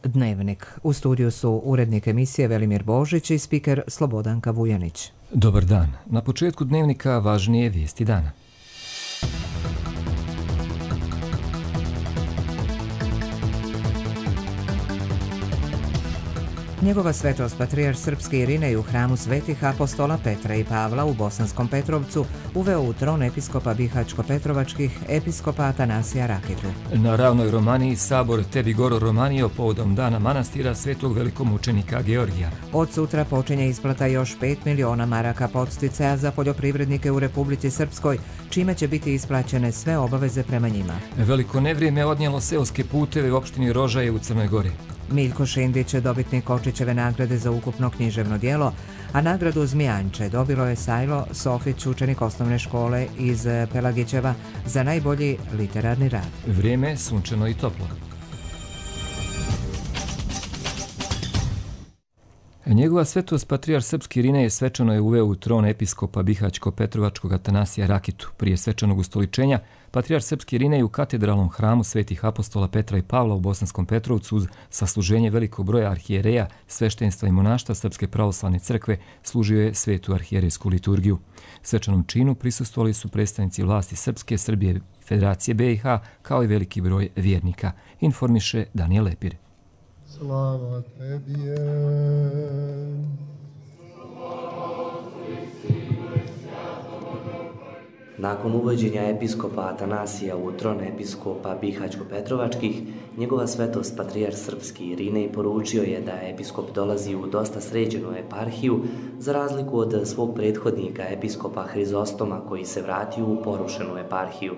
Dnevnik. U studiju su urednik emisije Velimir Božić i spiker Slobodanka Vujanić. Dobar dan. Na početku Dnevnika važnije vijesti dana. Njegova svetost patrijarh srpski Irinej u hramu svetih apostola Petra i Pavla u Bosanskom Petrovcu uveo u tron episkopa Bihaćko-Petrovačkih episkopa Atanasija Rakitu. Na Ravnoj Romaniji sabor Tebi Goro Romanio povodom dana manastira svetog velikomučenika Georgija. Od sutra počinje isplata još 5 miliona maraka podsticaja za poljoprivrednike u Republici Srpskoj, čime će biti isplaćene sve obaveze prema njima. Veliko nevrijeme odnijelo seoske puteve u opštini Rožaje u Crnoj Gori. Miljko Šindić je dobitnik Kočićeve nagrade za ukupno književno djelo, a nagradu Zmijanče dobilo je Sajlo Sofić, učenik osnovne škole iz Pelagićeva, za najbolji literarni rad. Vrijeme je sunčano i toplo. Njegova svetost patrijarh srpski Irinej svečano je uveo u tron episkopa Bihaćko-Petrovačkog Atanasija Rakitu. Prije svečanog ustoličenja, patrijarh srpski Irinej u katedralnom hramu svetih apostola Petra i Pavla u Bosanskom Petrovcu uz sasluženje velikog broja arhijereja, sveštenstva i monaštva Srpske pravoslavne crkve služio je svetu arhijerejsku liturgiju. Svečanom činu prisustvovali su predstavnici vlasti Srpske, Srbije i Federacije BiH, kao i veliki broj vjernika, informiše Danijel Lepir. Slava tebi je. Nakon uvođenja episkopa Atanasija u tron episkopa Bihaćko-Petrovačkih, njegova svetost patrijarh srpski Irinej poručio je da episkop dolazi u dosta sređenu eparhiju, za razliku od svog prethodnika episkopa Hrizostoma koji se vratio u porušenu eparhiju.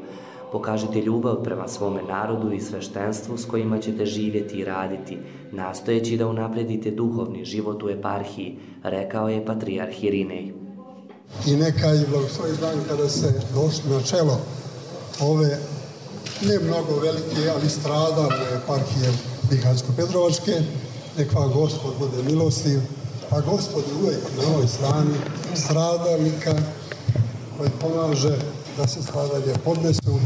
Pokažite ljubav prema svome narodu i sveštenstvu s kojima ćete živjeti i raditi, nastojeći da unapredite duhovni život u eparhiji, rekao je patrijarh Irinej. I neka je blagoslovi dan kada se došli na čelo ove ne mnogo velike, ali stradalne eparhije Bihaćko-Petrovačke, nek vam Gospod bude milostiv, a Gospod je uvijek na ovoj strani stradalnika koji pomaže da se stradanje podnesu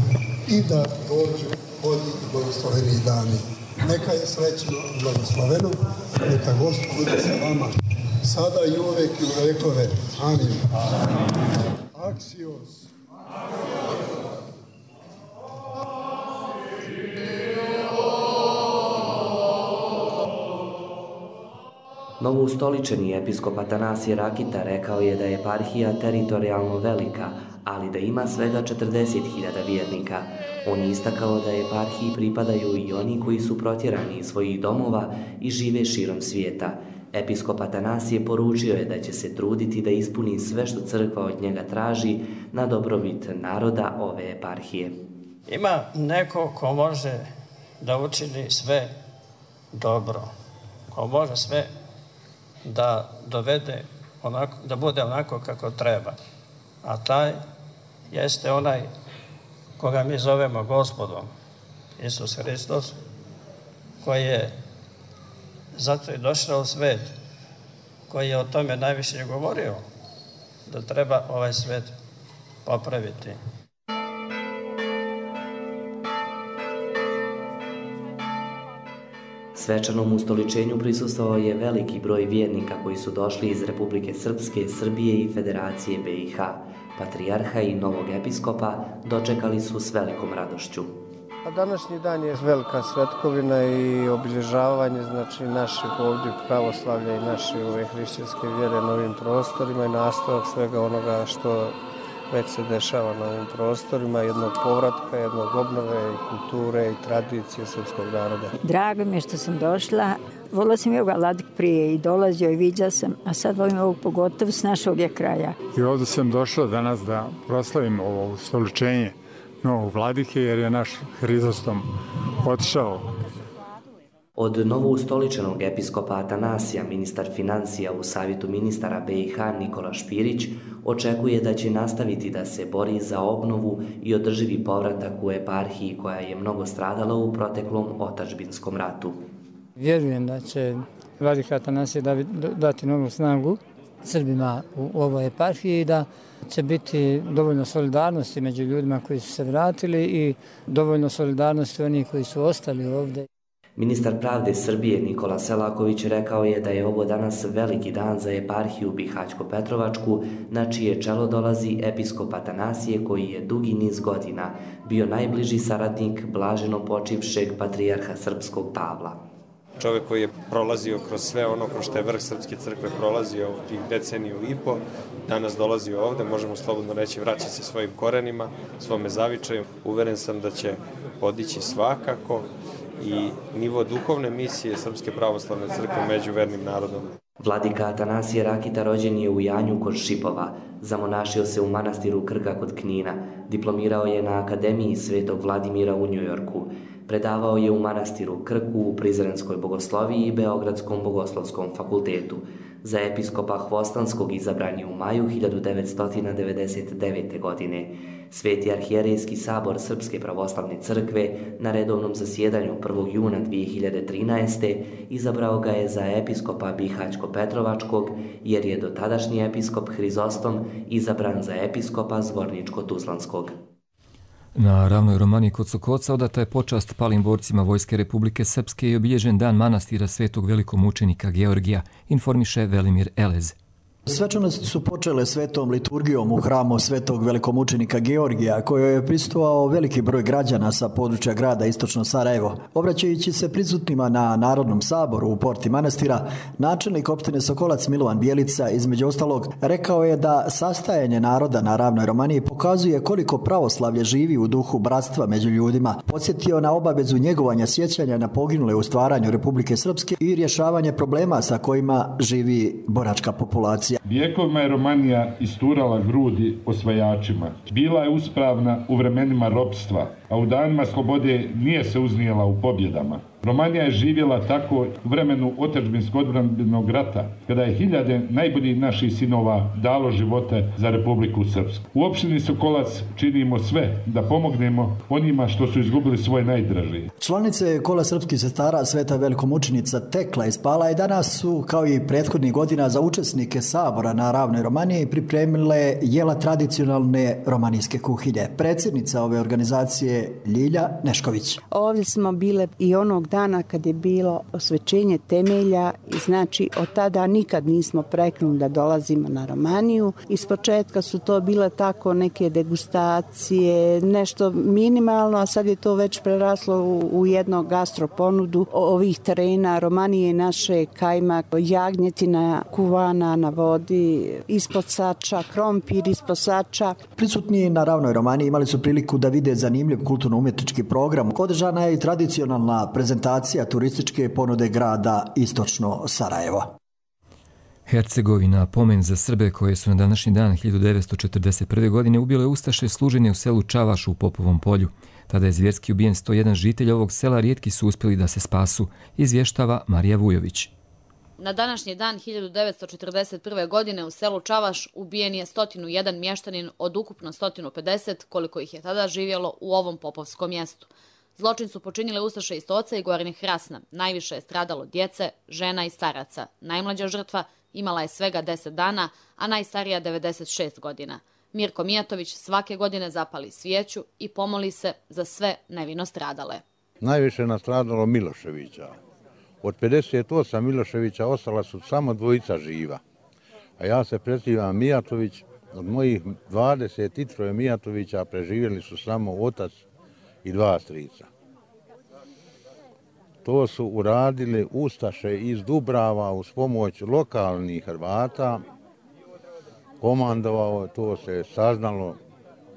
i da dođu bolji i blagosloveni dani. Neka je srećno i blagosloveno, neka Gospod bude sa vama, sada i uvek i u vekove. Amin. Aksios. Novoustoličeni episkop Atanasije Rakita rekao je da je eparhija teritorijalno velika, ali da ima svega 40.000 vjernika. On je istakao da eparhiji pripadaju i oni koji su protjerani iz svojih domova i žive širom svijeta. Episkop Atanasije poručio je da će se truditi da ispuni sve što crkva od njega traži na dobrobit naroda ove eparhije. Ima neko ko može da učini sve dobro, ko može sve da dovede onako, da bude onako kako treba. A taj jeste onaj koga mi zovemo Gospodom, Isus Hristos, koji je zato i došao u svet, koji je o tome najviše govorio, da treba ovaj svet popraviti. Svečanom ustoličenju prisustvovao je veliki broj vjernika koji su došli iz Republike Srpske, Srbije i Federacije BiH. Patrijarha i novog episkopa dočekali su s velikom radošću. Današnji dan je velika svetkovina i obilježavanje našeg ovdje pravoslavlja i naše hrišćanske vjere na ovim prostorima i nastavak svega onoga što već se dešava na ovim prostorima, jednog povratka, jednog obnove i kulture i tradicije srpskog naroda. Drago mi je što sam došla. Volila sam Joga Vladik prije i dolazio i viđa sam, a sad volim ovog pogotovo s našog kraja. I ovdje sam došla danas da proslavim ovo ustoličenje novog vladike jer je naš Hrizostom otišao. Od novoustoličenog episkopa Atanasija, ministar financija u Savjetu ministara BiH Nikola Špirić očekuje da će nastaviti da se bori za obnovu i održivi povratak u eparhiji koja je mnogo stradala u proteklom otadžbinskom ratu. Vjerujem da će vladika Atanasije dati novu snagu Srbima u ovoj eparhiji i da će biti dovoljno solidarnosti među ljudima koji su se vratili i dovoljno solidarnosti onih koji su ostali ovdje. Ministar pravde Srbije Nikola Selaković rekao je da je ovo danas veliki dan za eparhiju Bihać-Petrovačku, na čije čelo dolazi episkop Atanasije koji je dugi niz godina bio najbliži saradnik blaženo počivšeg patrijarha srpskog Pavla. Čovjek koji je prolazio kroz sve ono kroz što je vrh Srpske crkve prolazio tih deceniju i po, danas dolazi ovde, možemo slobodno reći, vraća se svojim korenima, svome zavičaju. Uveren sam da će podići svakako i nivo duhovne misije Srpske pravoslavne crkve među vernim narodom. Vladika Atanasije Rakita rođen je u Janju kod Šipova, zamonašio se u manastiru Krka kod Knina, diplomirao je na Akademiji Svetog Vladimira u Njujorku, predavao je u manastiru Krku, u Prizrenskoj bogosloviji i Beogradskom bogoslovskom fakultetu. Za episkopa Hvostanskog izabran je u maju 1999. godine. Sveti arhijerejski sabor Srpske pravoslavne crkve na redovnom zasjedanju 1. juna 2013. izabrao ga je za episkopa Bihać-Petrovačkog, jer je dotadašnji episkop Hrizostom izabran za episkopa Zvorničko-Tuzlanskog. Na ravnoj Romaniji kod Sokoca odata je počast palim borcima Vojske Republike Srpske i obilježen dan manastira Svetog velikomučenika Georgija, informiše Velimir Elez. Svečanosti su počele svetom liturgijom u hramu Svetog velikomučenika Georgija, kojoj je prisustvovao veliki broj građana sa područja grada Istočno Sarajevo. Obraćajući se prisutnima na Narodnom saboru u porti manastira, načelnik opštine Sokolac Milovan Bijelica, između ostalog, rekao je da sastajanje naroda na ravnoj Romaniji pokazuje koliko pravoslavlje živi u duhu bratstva među ljudima. Podsjetio na obavezu njegovanja sjećanja na poginule u stvaranju Republike Srpske i rješavanje problema sa kojima živi boračka populacija. Vijekovima je Romanija isturala grudi osvajačima. Bila je uspravna u vremenima ropstva, a u danima slobode nije se uznijela u pobjedama. Romanija je živjela tako u vremenu otadžbinskog odbrambenog rata, kada je hiljade najboljih naših sinova dalo živote za Republiku Srpsku. U opštini Sokolac činimo sve da pomognemo onima što su izgubili svoje najdražije. Članice Kola srpskih sestara Sveta velikomučenica Tekla iz Pala i danas su, kao i prethodnih godina, za učesnike sabora na ravnoj Romaniji pripremile jela tradicionalne romanijske kuhinje. Predsjednica ove organizacije Ljilja Nešković. Ovdje smo bile i onog dana kad je bilo osvećenje temelja i znači od tada nikad nismo preknuli da dolazimo na Romaniju. Ispočetka su to bile tako neke degustacije, nešto minimalno, a sad je to već preraslo u jednu gastroponudu ovih terena Romanije naše, kajmak, jagnjetina kuvana na vodi, ispod sača, krompir ispod sača. Prisutni na ravnoj Romaniji imali su priliku da vide zanimljiv kulturno-umjetnički program. Održana je i tradicionalna prezentacija turističke ponude grada Istočno Sarajevo. Hercegovina, pomen za Srbe koje su na današnji dan 1941. godine ubile ustaše služenje u selu Čavaš u Popovom polju. Tada je zvjerski ubijen 101 žitelj ovog sela, rijetki su uspjeli da se spasu, izvještava Marija Vujović. Na današnji dan 1941. godine u selu Čavaš ubijen je 101 mještanin od ukupno 150 koliko ih je tada živjelo u ovom popovskom mjestu. Zločin su počinile ustaše iz Stoca i Gornjeg Hrasna. Najviše je stradalo djece, žena i staraca. Najmlađa žrtva imala je svega 10 dana, a najstarija 96 godina. Mirko Mijatović svake godine zapali svijeću i pomoli se za sve nevino stradale. Najviše je nastradalo Miloševića. Od 58 Miloševića ostala su samo 2 živa. A ja se prezivam Mijatović. Od mojih 23 Mijatovića preživjeli su samo otac i 2 strica. To su uradili ustaše iz Dubrava uz pomoć lokalnih Hrvata. Komandovao, to se saznalo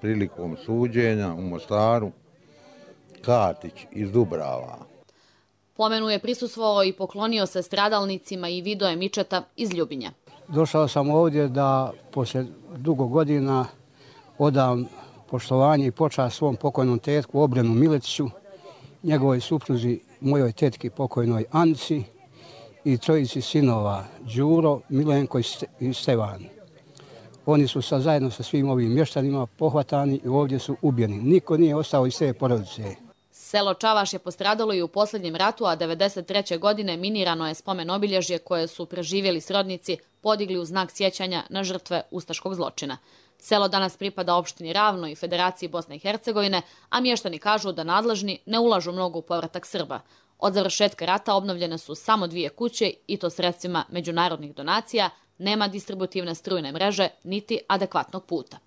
prilikom suđenja u Mostaru, Katić iz Dubrava. Pomenu je prisustvovao i poklonio se stradalnicima i Vidoje Mičeta iz Ljubinja. Došao sam ovdje da poslije dugo godina odam poštovanje i počast svom pokojnom tetku Obrenu Miletiću, njegovoj supruzi, mojoj tetki pokojnoj Anci i 3 sinova Đuro, Milenko i Stevan. Oni su zajedno sa svim ovim mještanima pohvatani i ovdje su ubijeni. Niko nije ostao iz te porodice. Selo Čavaš je postradalo i u posljednjem ratu, a 1993. godine minirano je spomen obilježje koje su preživjeli srodnici podigli u znak sjećanja na žrtve ustaškog zločina. Selo danas pripada opštini Ravno i Federaciji Bosne i Hercegovine, a mještani kažu da nadležni ne ulažu mnogo u povratak Srba. Od završetka rata obnovljene su samo 2 kuće i to sredstvima međunarodnih donacija, nema distributivne strujne mreže niti adekvatnog puta.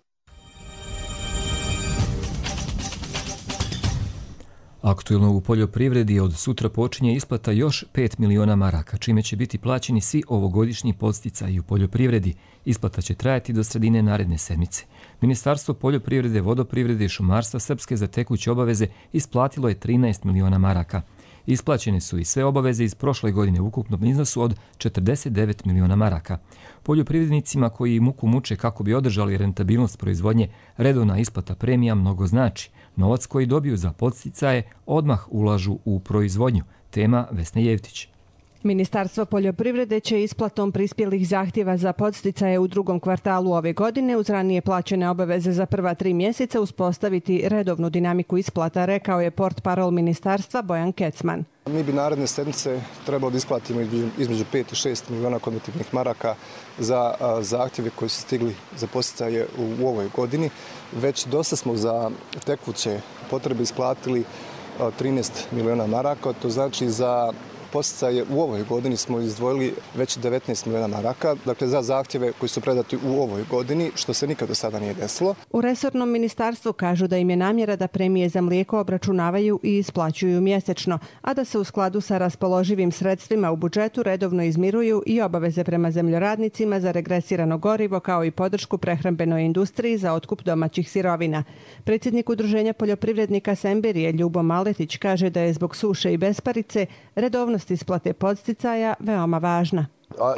Aktuelno u poljoprivredi od sutra počinje isplata još 5 miliona maraka, čime će biti plaćeni svi ovogodišnji podsticaji u poljoprivredi. Isplata će trajati do sredine naredne sedmice. Ministarstvo poljoprivrede, vodoprivrede i šumarstva Srpske za tekuće obaveze isplatilo je 13 miliona maraka. Isplaćene su i sve obaveze iz prošle godine u ukupnom iznosu od 49 miliona maraka. Poljoprivrednicima koji muku muče kako bi održali rentabilnost proizvodnje, redovna isplata premija mnogo znači. Novac koji dobiju za podsticaje odmah ulažu u proizvodnju. Tema Vesne Jevtić. Ministarstvo poljoprivrede će isplatom prispjelih zahtjeva za podsticaje u drugom kvartalu ove godine uz ranije plaćene obaveze za prva 3 mjeseca uspostaviti redovnu dinamiku isplata, rekao je portparol ministarstva Bojan Kecman. Mi bi naredne sedmice trebalo da isplatimo između 5 i 6 miliona konvertibilnih maraka za zahtjeve koji su stigli za podsticaje u ovoj godini. Već dosta smo za tekuće potrebe isplatili 13 miliona maraka, to znači za podsticaje u ovoj godini smo izdvojili već 19 miliona maraka, dakle za zahtjeve koji su predati u ovoj godini, što se nikad do sada nije desilo. U resornom ministarstvu kažu da im je namjera da premije za mlijeko obračunavaju i isplaćuju mjesečno, a da se u skladu sa raspoloživim sredstvima u budžetu redovno izmiruju i obaveze prema zemljoradnicima za regresirano gorivo kao i podršku prehrambenoj industriji za otkup domaćih sirovina. Predsjednik Udruženja poljoprivrednika Semberije Ljubo Maletić kaže da je zbog suše i besparice redovnost isplate podsticaja veoma važna.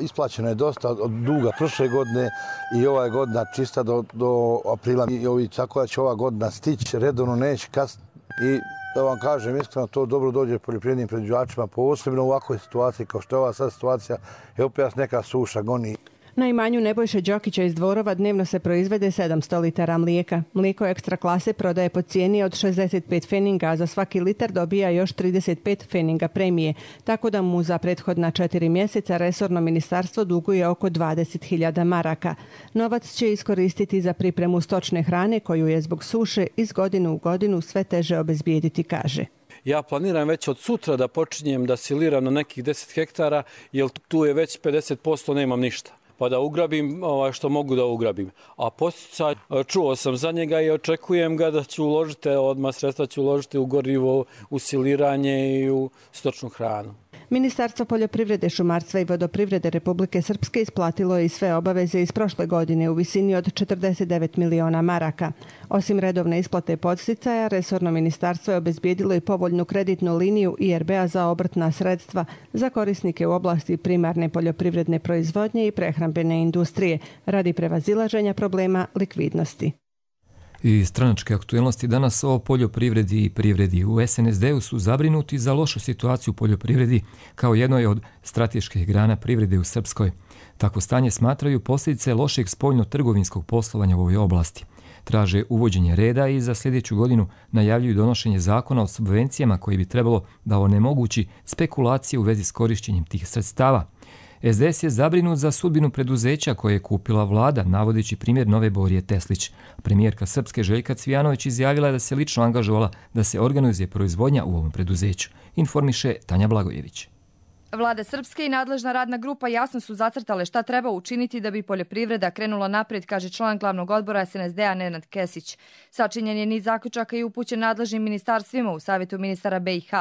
Isplaćeno je dosta od duga prošle godine i ova je godina čista do aprila. Tako da će ova godina stići, redovno neće kasniti. I da vam kažem iskreno, to dobro dođe poljoprivrednim proizvođačima, posebno u ovakvoj situaciji kao što je ova sad situacija, je opet neka suša goni. Na imanju Nebojše Đokića iz Dvorova dnevno se proizvede 700 litara mlijeka. Mlijeko ekstra klase prodaje po cijeni od 65 feninga, a za svaki litar dobija još 35 feninga premije, tako da mu za prethodna 4 mjeseca resorno ministarstvo duguje oko 20.000 maraka. Novac će iskoristiti za pripremu stočne hrane koju je zbog suše iz godine u godinu sve teže obezbijediti, kaže. Ja planiram već od sutra da počinjem da siliram na nekih 10 hektara, jer tu je već 50% nemam ništa. Pa da ugrabim što mogu da ugrabim. A posticaj, čuo sam za njega i očekujem ga da ću uložiti, odmah sredstva ću uložiti u gorivo, u siliranje i u stočnu hranu. Ministarstvo poljoprivrede, šumarstva i vodoprivrede Republike Srpske isplatilo je i sve obaveze iz prošle godine u visini od 49 miliona maraka. Osim redovne isplate podsticaja, resorno ministarstvo je obezbijedilo i povoljnu kreditnu liniju IRB-a za obrtna sredstva za korisnike u oblasti primarne poljoprivredne proizvodnje i prehrambene industrije radi prevazilaženja problema likvidnosti. I stranačke aktuelnosti danas o poljoprivredi i privredi. U SNSD-u su zabrinuti za lošu situaciju u poljoprivredi kao jednoj od strateških grana privrede u Srpskoj. Takvo stanje smatraju posljedice lošeg spoljno-trgovinskog poslovanja u ovoj oblasti. Traže uvođenje reda i za sljedeću godinu najavljuju donošenje zakona o subvencijama koji bi trebalo da onemogući spekulacije u vezi s korišćenjem tih sredstava. SDS je zabrinut za sudbinu preduzeća koje je kupila vlada, navodeći primjer Nove Borije Teslić. Premijerka Srpske Željka Cvijanović izjavila je da se lično angažovala da se organizuje proizvodnja u ovom preduzeću. Informiše Tanja Blagojević. Vlada Srpske i nadležna radna grupa jasno su zacrtale šta treba učiniti da bi poljoprivreda krenula naprijed, kaže član glavnog odbora SNSD-a Nenad Kesić. Sačinjen je niz zaključaka i upućen nadležnim ministarstvima u Savjetu ministara BiH.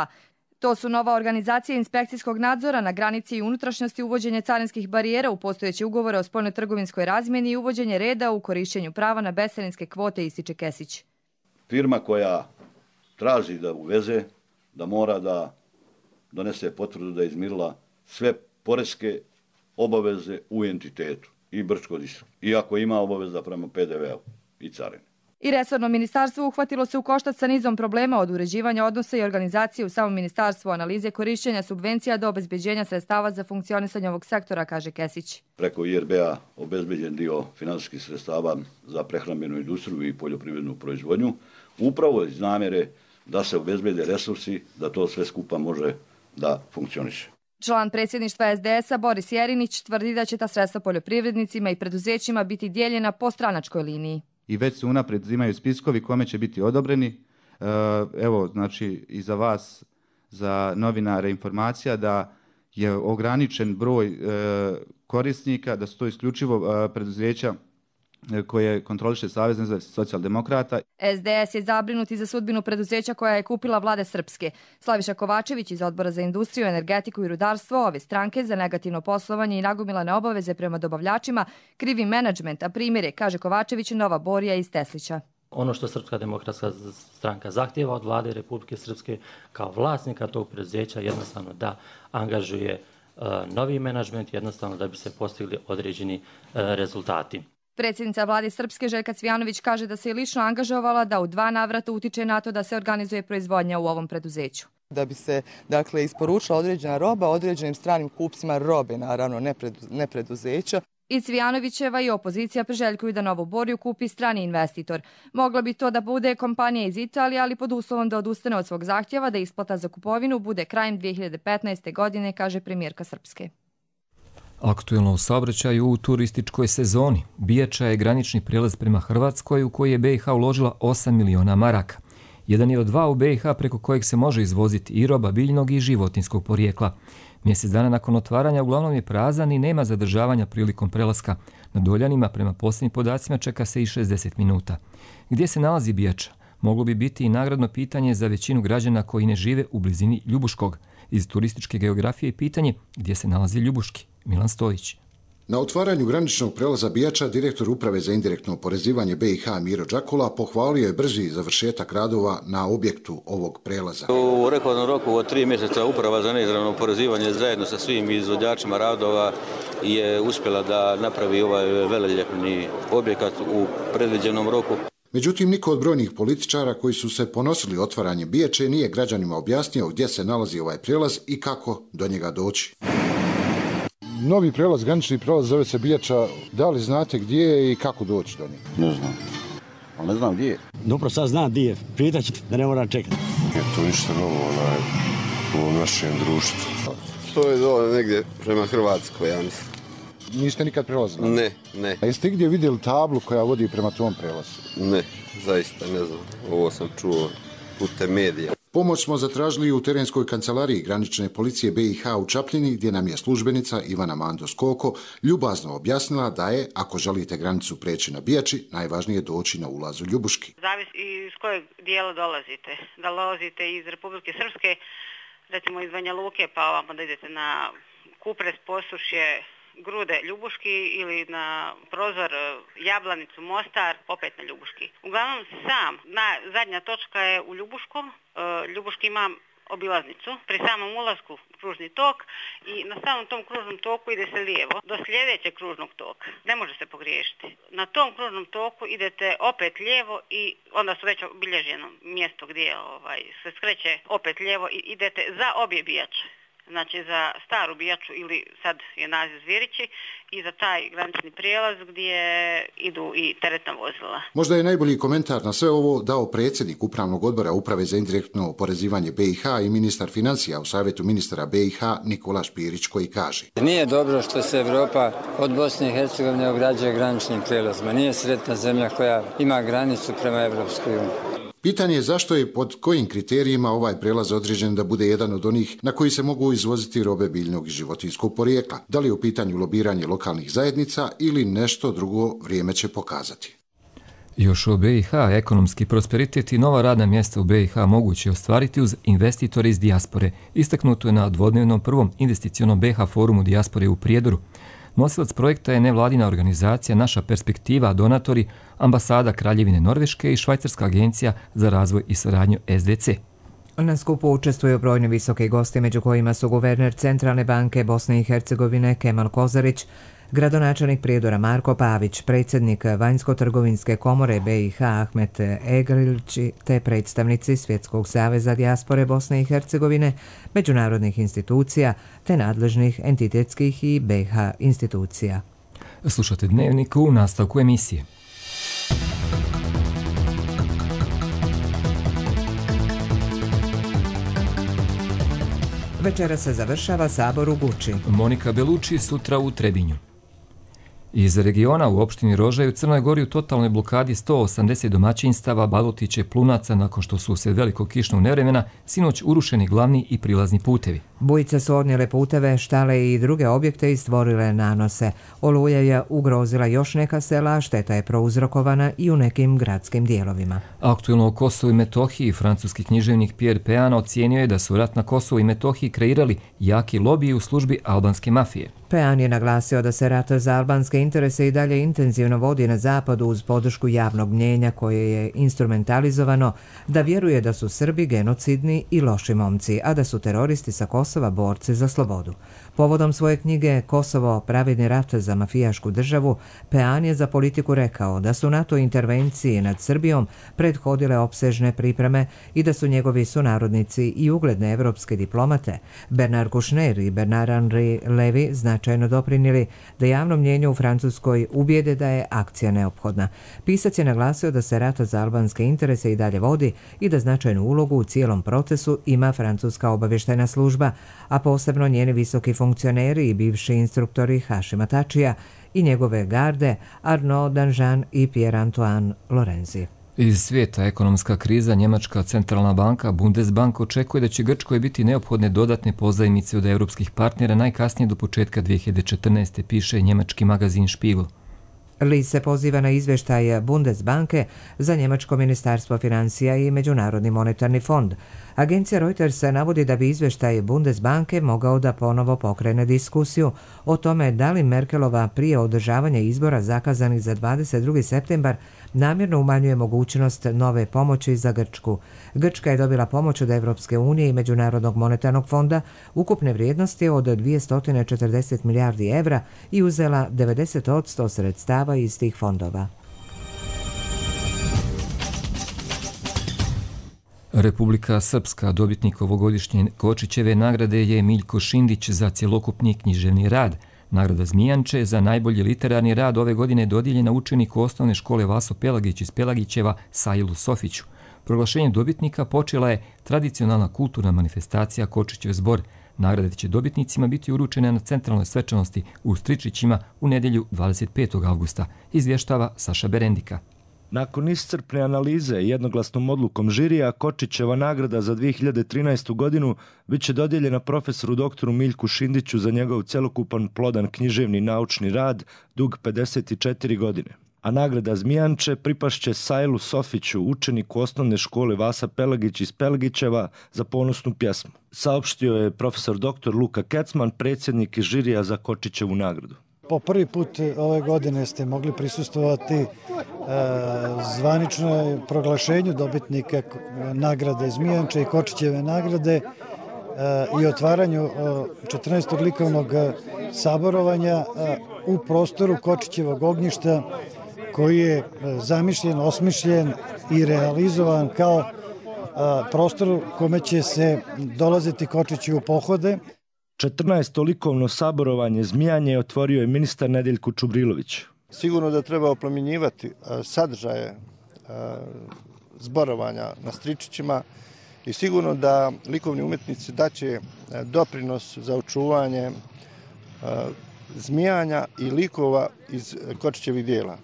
To su nova organizacija inspekcijskog nadzora na granici i unutrašnjosti, uvođenje carinskih barijera u postojeće ugovore o spoljnotrgovinskoj razmjeni i uvođenje reda u korišćenju prava na bescarinske kvote, ističe Kesić. Firma koja traži da uveze, da mora da donese potvrdu da je izmirila sve poreske obaveze u entitetu i Brčko-Distrikt, iako ima obaveza prema PDV-u i carini. I resorno ministarstvo uhvatilo se u koštac sa nizom problema od uređivanja odnosa i organizacije u samom ministarstvu, analize korišćenja subvencija do obezbeđenja sredstava za funkcionisanje ovog sektora, kaže Kesić. Preko IRB-a obezbeđen dio finansijskih sredstava za prehrambenu industriju i poljoprivrednu proizvodnju, upravo iz namjere da se obezbede resursi, da to sve skupa može da funkcioniše. Član predsjedništva SDS-a Boris Jerinić tvrdi da će ta sredstva poljoprivrednicima i preduzećima biti dijeljena po stranačkoj liniji. I već se unaprijed imaju spiskovi kome će biti odobreni. Evo, znači, i za vas za novinare informacija da je ograničen broj korisnika, da su to isključivo preduzeća koje kontroliše Savez nezavisnih socijaldemokrata. SDS je zabrinut i za sudbinu preduzeća koja je kupila vlade Srpske. Slaviša Kovačević iz Odbora za industriju, energetiku i rudarstvo ove stranke za negativno poslovanje i nagomilane obaveze prema dobavljačima krivi menadžment, a primjer je, kaže Kovačević, Nova Borija iz Teslića. Ono što Srpska demokratska stranka zahtjeva od vlade Republike Srpske kao vlasnika tog preduzeća jednostavno da angažuje novi menadžment, jednostavno da bi se postigli određeni rezultati. Predsjednica vlade Srpske Željka Cvijanović kaže da se je lično angažovala da u 2 navrata utiče na to da se organizuje proizvodnja u ovom preduzeću. Da bi se isporučila određena roba određenim stranim kupcima robe, naravno ne preduzeća. I Cvijanovićeva i opozicija priželjkuju da Novu Boriju kupi strani investitor. Mogla bi to da bude kompanija iz Italije, ali pod uslovom da odustane od svog zahtjeva da isplata za kupovinu bude krajem 2015. godine, kaže premijerka Srpske. Aktuelno u saobraćaju u turističkoj sezoni. Bijača je granični prijelaz prema Hrvatskoj u koji je BiH uložila 8 miliona maraka. Jedan je od 2 u BiH preko kojeg se može izvoziti i roba biljnog i životinjskog porijekla. Mjesec dana nakon otvaranja uglavnom je prazan i nema zadržavanja prilikom prelaska. Na Doljanima, prema posljednjim podacima, čeka se i 60 minuta. Gdje se nalazi Bijača? Moglo bi biti i nagradno pitanje za većinu građana koji ne žive u blizini Ljubuškog. Iz turističke geografije je pitanje gdje se nalazi Ljubuški. Milan Stojić. Na otvaranju graničnog prelaza Bijača direktor Uprave za indirektno oporezivanje BiH Miro Đakula pohvalio je brzi završetak radova na objektu ovog prelaza. U rekordnom roku od 3 mjeseca Uprava za neizravno oporezivanje zajedno sa svim izvođačima radova je uspjela da napravi ovaj veleljepni objekat u predviđenom roku. Međutim, niko od brojnih političara koji su se ponosili otvaranjem Bijače nije građanima objasnio gdje se nalazi ovaj prijelaz i kako do njega doći. Novi prelaz, granični prelaz zove se Bijača. Da li znate gdje je i kako doći do njega? Ne znam. Ali ne znam gdje je. Dobro, sad znam gdje je. Prijetat ću da ne moram čekati. Je to ništa novo u ovom našem društvu. To je dole negdje prema Hrvatskoj, ja mislim. Niste nikad prelazili? Ne. A jeste gdje vidjeli tablu koja vodi prema tom prelazu? Ne, zaista ne znam. Ovo sam čuo putem medija. Pomoć smo zatražili u terenskoj kancelariji granične policije BiH u Čapljini, gdje nam je službenica Ivana Mandos-Koko ljubazno objasnila da je, ako želite granicu preći na Bijači, najvažnije doći na ulazu Ljubuški. Zavisi iz kojeg dijela dolazite. Da dolazite iz Republike Srpske, recimo iz Banja Luke, pa ovamo da idete na Kupres, Posušje, Grude, Ljubuški ili na prozor Jablanicu, Mostar, opet na Ljubuški. Uglavnom zadnja točka je u Ljubuškom. Ljubuški ima obilaznicu, pri samom ulasku kružni tok i na samom tom kružnom toku ide se lijevo do sljedećeg kružnog toka. Ne može se pogriješiti. Na tom kružnom toku idete opet lijevo i onda su već obilježeno mjesto gdje se skreće opet lijevo i idete za obje Bijače. Znači za staru Bijaču ili sad je naziv Zvirići i za taj granični prijelaz gdje idu i teretna vozila. Možda je najbolji komentar na sve ovo dao predsjednik Upravnog odbora Uprave za indirektno oporezivanje BiH i ministar financija u Savjetu ministara BiH Nikola Špirić, koji kaže: Nije dobro što se Evropa od Bosne i Hercegovine ograđuje graničnim prijelazima. Nije sretna zemlja koja ima granicu prema Evropskoj uniji. Pitanje je zašto je pod kojim kriterijima ovaj prelaz određen da bude jedan od onih na koji se mogu izvoziti robe biljnog i životinjskog porijekla. Da li je u pitanju lobiranje lokalnih zajednica ili nešto drugo, vrijeme će pokazati. Još o BiH, ekonomski prosperitet i nova radna mjesta u BiH moguće ostvariti uz investitore iz dijaspore. Istaknuto je na dvodnevnom prvom investicionom BiH forumu dijaspore u Prijedoru. Nosilac projekta je nevladina organizacija Naša perspektiva, donatori, ambasada Kraljevine Norveške i Švajcarska agencija za razvoj i saradnju SDC. Na skupu učestvuju brojni visoki gosti, među kojima su guverner Centralne banke Bosne i Hercegovine Kemal Kozarić, gradonačelnik Prijedora Marko Pavić, predsjednik Vanjsko-trgovinske komore BiH Ahmet Egrilić te predstavnici Svjetskog saveza dijaspore Bosne i Hercegovine, međunarodnih institucija te nadležnih entitetskih i BiH institucija. Slušate Dnevnik u nastavku emisije. Večera se završava sabor u Guči. Monika Beluči sutra u Trebinju. Iz regiona u opštini Rožaj u Crnoj Gori u totalnoj blokadi 180 domaćinstava, Balutića i Plunaca nakon što su usred velikog kišnog nevremena sinoć urušeni glavni i prilazni putevi. Bujice su odnijele puteve, štale i druge objekte i stvorile nanose. Oluja je ugrozila još neka sela, šteta je prouzrokovana i u nekim gradskim dijelovima. Aktuelno o Kosovu i Metohiji francuski književnik Pierre Pean ocijenio je da su rat na Kosovu i Metohiji kreirali jaki lobiji u službi albanske mafije. Pean je naglasio da se rat za albanske interese i dalje intenzivno vodi na zapadu uz podršku javnog mnjenja koje je instrumentalizovano, da vjeruje da su Srbi genocidni i loši momci, a da su teroristi sa Kosova borci za slobodu. Povodom svoje knjige Kosovo, pravedni rat za mafijašku državu, Pean je za Politiku rekao da su NATO intervenciji nad Srbijom prethodile opsežne pripreme i da su njegovi sunarodnici i ugledne evropske diplomate Bernard Kouchner i Bernard-Henri Lévy značajno doprinijeli da javno mnjenje u Francuskoj ubijede da je akcija neophodna. Pisac je naglasio da se rat za albanske interese i dalje vodi i da značajnu ulogu u cijelom procesu ima francuska obavještajna služba, a posebno njeni visoki funkcioneri i bivši instruktori Hašima Tačija i njegove garde Arnaud Danjean i Pierre-Antoine Lorenzi. Iz svijeta ekonomska kriza, Njemačka centralna banka Bundesbank očekuje da će Grčkoj biti neophodne dodatne pozajmice od europskih partnera najkasnije do početka 2014. piše njemački magazin Spiegel. Li se poziva na izvještaj Bundesbanke za Njemačko ministarstvo financija i Međunarodni monetarni fond. Agencija Reuters navodi da bi izvještaj Bundesbanke mogao da ponovo pokrene diskusiju o tome da li Merkelova prije održavanja izbora zakazanih za 22. septembar namjerno umanjuje mogućnost nove pomoći za Grčku. Grčka je dobila pomoć od Evropske unije i Međunarodnog monetarnog fonda ukupne vrijednosti od 240 milijardi evra i uzela 90% sredstava iz tih fondova. Republika Srpska, dobitnik ovogodišnje Kočićeve nagrade je Miljko Šindić za cjelokupni književni rad. Nagrada Zmijanče za najbolji literarni rad ove godine dodijeljena učeniku osnovne škole Vaso Pelagić iz Pelagićeva Sailu Sofiću. Proglašenjem dobitnika počela je tradicionalna kulturna manifestacija Kočićev zbor. Nagrade će dobitnicima biti uručene na centralnoj svečanosti u Stričićima u nedjelju 25. avgusta, izvještava Saša Berendika. Nakon iscrpne analize i jednoglasnom odlukom žirija, Kočićeva nagrada za 2013. godinu bit će dodijeljena profesoru doktoru Miljku Šindiću za njegov cjelokupan plodan književni naučni rad dug 54 godine. A nagrada Zmijanče pripašće Sailu Sofiću, učeniku osnovne škole Vasa Pelagić iz Pelagićeva za ponosnu pjesmu. Saopštio je profesor doktor Luka Kecman, predsjednik žirija za Kočićevu nagradu. Po prvi put ove godine ste mogli prisustvovati zvaničnoj proglašenju dobitnika nagrade Zmijanče i Kočićeve nagrade i otvaranju 14. likovnog saborovanja u prostoru Kočićevog ognjišta koji je zamišljen, osmišljen i realizovan kao prostor kome će se dolaziti Kočići u pohode. 14. likovno saborovanje Zmijanje otvorio je ministar Nedeljko Čubrilović. Sigurno da treba oplemenjivati sadržaje zborovanja na Stričićima i sigurno da likovni umjetnici daće doprinos za očuvanje zmijanja i likova iz Kočićevih dijela.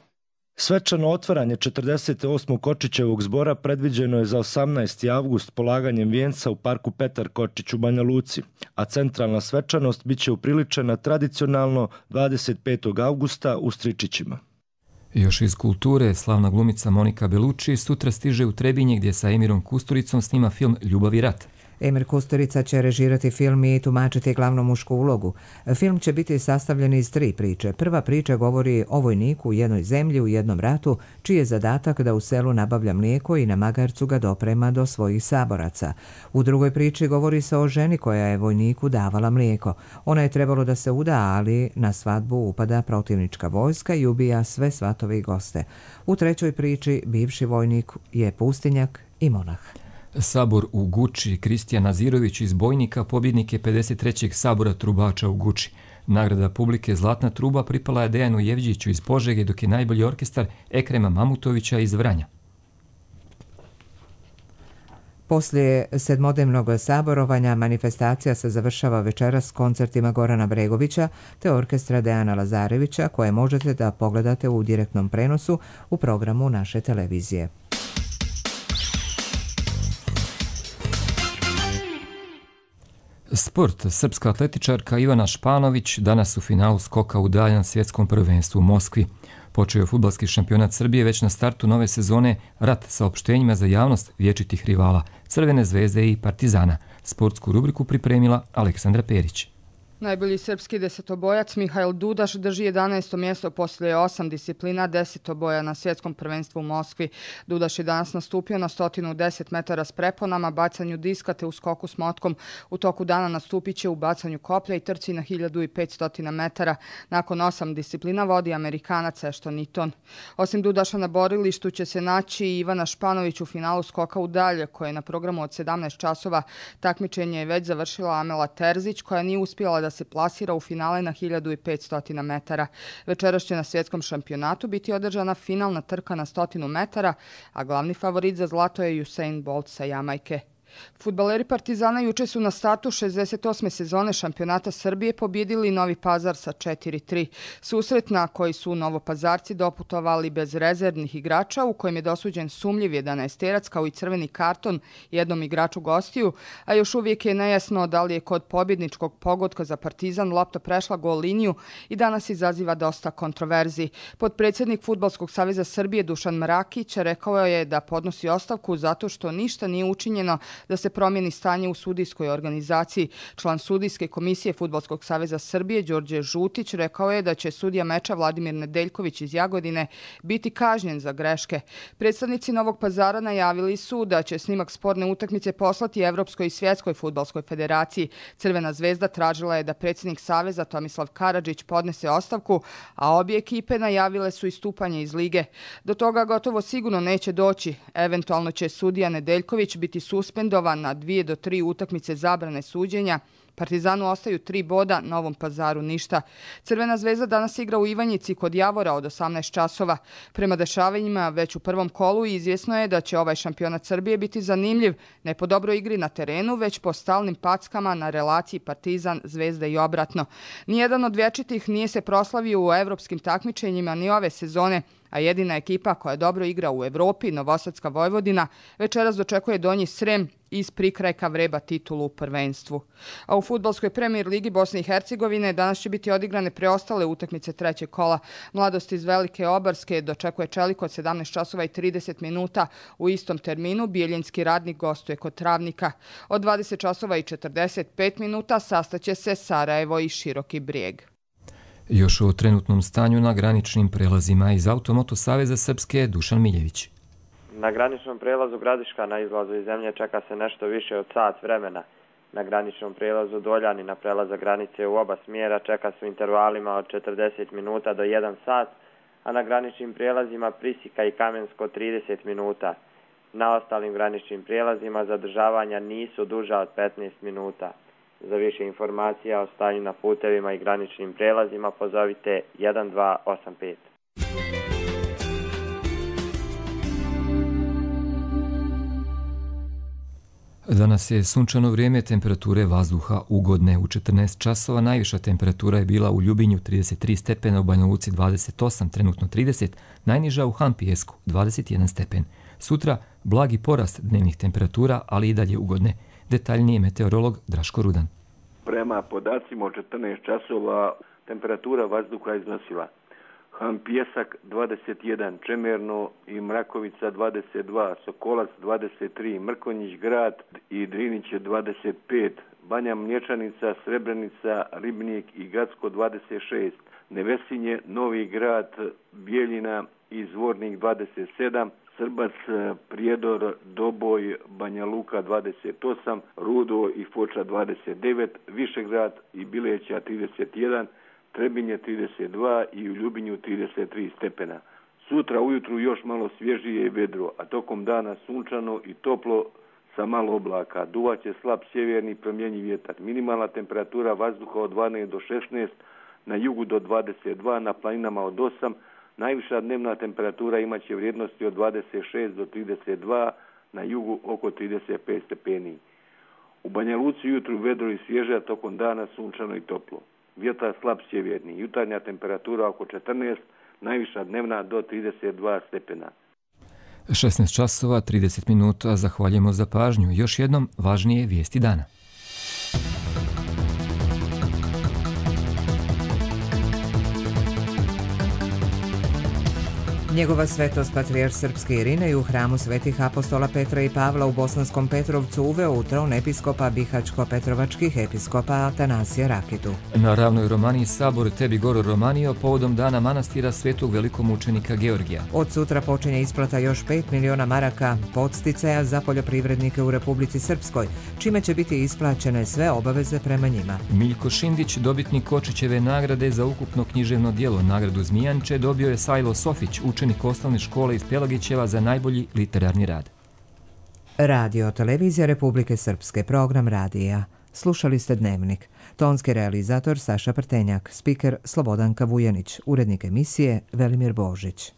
Svečano otvaranje 48. Kočićevog zbora predviđeno je za 18. avgust polaganjem vijenca u parku Petar Kočić u Banja Luci, a centralna svečanost bit će upriličena tradicionalno 25. avgusta u Stričićima. Još iz kulture, slavna glumica Monika Belucci sutra stiže u Trebinje gdje sa Emirom Kusturicom snima film Ljubav i rat. Emir Kusturica će režirati film i tumačiti glavnu mušku ulogu. Film će biti sastavljen iz 3 priče. Prva priča govori o vojniku u jednoj zemlji u jednom ratu, čiji je zadatak da u selu nabavlja mlijeko i na magarcu ga doprema do svojih saboraca. U drugoj priči govori se o ženi koja je vojniku davala mlijeko. Ona je trebalo da se uda, ali na svadbu upada protivnička vojska i ubija sve svatove i goste. U trećoj priči bivši vojnik je pustinjak i monah. Sabor u Guči, Kristijan Nazirović iz Bojnika, pobjednik je 53. sabora trubača u Guči. Nagrada publike Zlatna truba pripala je Dejanu Jevđiću iz Požege, dok je najbolji orkestar Ekrema Mamutovića iz Vranja. Poslije sedmodnevnog saborovanja manifestacija se završava večeras koncertima Gorana Bregovića te orkestra Dejana Lazarevića koje možete da pogledate u direktnom prenosu u programu naše televizije. Sport. Srpska atletičarka Ivana Španović danas u finalu skoka u daljan svjetskom prvenstvu u Moskvi. Počeo je fudbalski šampionat Srbije već na startu nove sezone rat sa opštenjima za javnost vječitih rivala Crvene zvezde i Partizana. Sportsku rubriku pripremila Aleksandra Perić. Najbolji srpski desetobojac Mihail Dudaš drži 11. mjesto poslije 8 disciplina desetoboja na svjetskom prvenstvu u Moskvi. Dudaš je danas nastupio na 110 metara s preponama, bacanju diska te u skoku s motkom. U toku dana nastupit će u bacanju koplja i trci na 1500 metara. Nakon 8 disciplina vodi Amerikanac Ashton Eaton. Osim Dudaša na borilištu će se naći i Ivana Španović u finalu skoka u dalje, koje je na programu od 17 časova. Takmičenje je već završila Amela Terzić, koja nije uspjela da se plasira u finale na 1500 metara. Večeras će na svjetskom šampionatu biti održana finalna trka na 100 metara, a glavni favorit za zlato je Usain Bolt sa Jamajke. Fudbaleri Partizana juče su na startu 68. sezone šampionata Srbije pobjedili Novi Pazar sa 4-3. Susret na koji su Novopazarci doputovali bez rezervnih igrača, u kojem je dosuđen sumljiv 11-terac kao i crveni karton jednom igraču gostiju, a još uvijek je nejasno da li je kod pobjedničkog pogotka za Partizan lopta prešla gol liniju i danas izaziva dosta kontroverzi. Potpredsjednik Fudbalskog saveza Srbije Dušan Mrakić rekao je da podnosi ostavku zato što ništa nije učinjeno da se promijeni stanje u sudijskoj organizaciji. Član sudijske komisije Fudbalskog saveza Srbije Đorđe Žutić rekao je da će sudija meča Vladimir Nedeljković iz Jagodine biti kažnjen za greške. Predstavnici Novog Pazara najavili su da će snimak sporne utakmice poslati Evropskoj i Svjetskoj fudbalskoj federaciji. Crvena zvezda tražila je da predsjednik saveza Tomislav Karadžić podnese ostavku, a obje ekipe najavile su istupanje iz lige. Do toga gotovo sigurno neće doći. Eventualno će sudija Nedeljković biti suspendovan na 2 do 3 utakmice zabrane suđenja. Partizanu ostaju 3 boda, Novom Pazaru ništa. Crvena zvezda danas igra u Ivanjici kod Javora od 18 časova. Prema dešavanjima već u prvom kolu izvjesno je da će ovaj šampionat Srbije biti zanimljiv, ne po dobroj igri na terenu, već po stalnim packama na relaciji Partizan, Zvezda i obratno. Nijedan od vječitih nije se proslavio u evropskim takmičenjima ni ove sezone, a jedina ekipa koja dobro igra u Evropi, Novosadska Vojvodina, večeras dočekuje Donji Srem iz prikrajka vreba titulu u prvenstvu. A u fudbalskoj premijer ligi Bosne i Hercegovine danas će biti odigrane preostale utakmice trećeg kola. Mladost iz Velike Obarske dočekuje Čelik od 17 časova i 30 minuta. U istom terminu Bijeljinski Radnik gostuje kod Travnika. Od 20 časova i 45 minuta sastaće se Sarajevo i Široki Brijeg. Još o trenutnom stanju na graničnim prelazima iz Automoto Saveza Srpske Dušan Miljević. Na graničnom prelazu Gradiška na izlazu iz zemlje čeka se nešto više od sat vremena. Na graničnom prelazu Doljani na prelazak granice u oba smjera čeka se u intervalima od 40 minuta do 1 sat, a na graničnim prijelazima Prisika i Kamensko 30 minuta. Na ostalim graničnim prijelazima zadržavanja nisu duža od 15 minuta. Za više informacija o stanju na putevima i graničnim prijelazima pozovite 1285. Danas je sunčano vrijeme, temperature vazduha ugodne. U 14 časova najviša temperatura je bila u Ljubinju 33 stepena, u Banja Luci 28, trenutno 30, najniža u Hampijesku 21 stepen. Sutra blagi porast dnevnih temperatura, ali i dalje ugodne. Detaljnije meteorolog Draško Rudan. Prema podacima od 14 časova temperatura vazduha iznosila Hampjesak 21, Čemerno i Mrakovica 22, Sokolac 23, Mrkonjić Grad i Drinić 25, Banja Mlječanica, Srebrenica, Ribnik i Gacko 26, Nevesinje, Novi Grad, Bijeljina i Zvornik 27, Srbac, Prijedor, Doboj, Banja Luka 28, Rudo i Foča 29, Višegrad i Bileća 31, Trebinje 32 i u Ljubinju 33 stepena. Sutra ujutru još malo svježije i vedro, a tokom dana sunčano i toplo sa malo oblaka. Duvaće slab sjeverni promjenjiv vjetar. Minimalna temperatura vazduha od 12 do 16, na jugu do 22, na planinama od 8, najviša dnevna temperatura imaće vrijednosti od 26 do 32, na jugu oko 35 stepeni. U Banja Luci jutru vedro i svježe, tokom dana sunčano i toplo. Vjetar slab sjeverni, jutarnja temperatura oko 14, najviša dnevna do 32 stepena. 16 časova, 30 minuta, zahvaljujemo za pažnju. Još jednom važnije vijesti dana. Njegova svetost patrijarh srpske Irinej u hramu svetih apostola Petra i Pavla u Bosanskom Petrovcu uveo u tron episkopa Bihaćko-Petrovačkih episkopa Atanasija Rakitu. Na Ravnoj Romaniji sabor Tebi Goro Romanio povodom dana manastira svetog velikomučenika Georgija. Od sutra počinje isplata još 5 miliona maraka podsticaja za poljoprivrednike u Republici Srpskoj, čime će biti isplaćene sve obaveze prema njima. Miljko Šindić, dobitnik Kočićeve nagrade za ukupno književno djelo, nagradu Zmijanče, dobio je Sajlo Sofić, učenik osnovne škole iz Pelagićeva za najbolji literarni rad. Radio Televizija Republike Srpske, program radija. Slušali ste Dnevnik. Tonski realizator Saša Prtenjak, spiker Slobodanka Vujanić, urednik emisije Velimir Božić.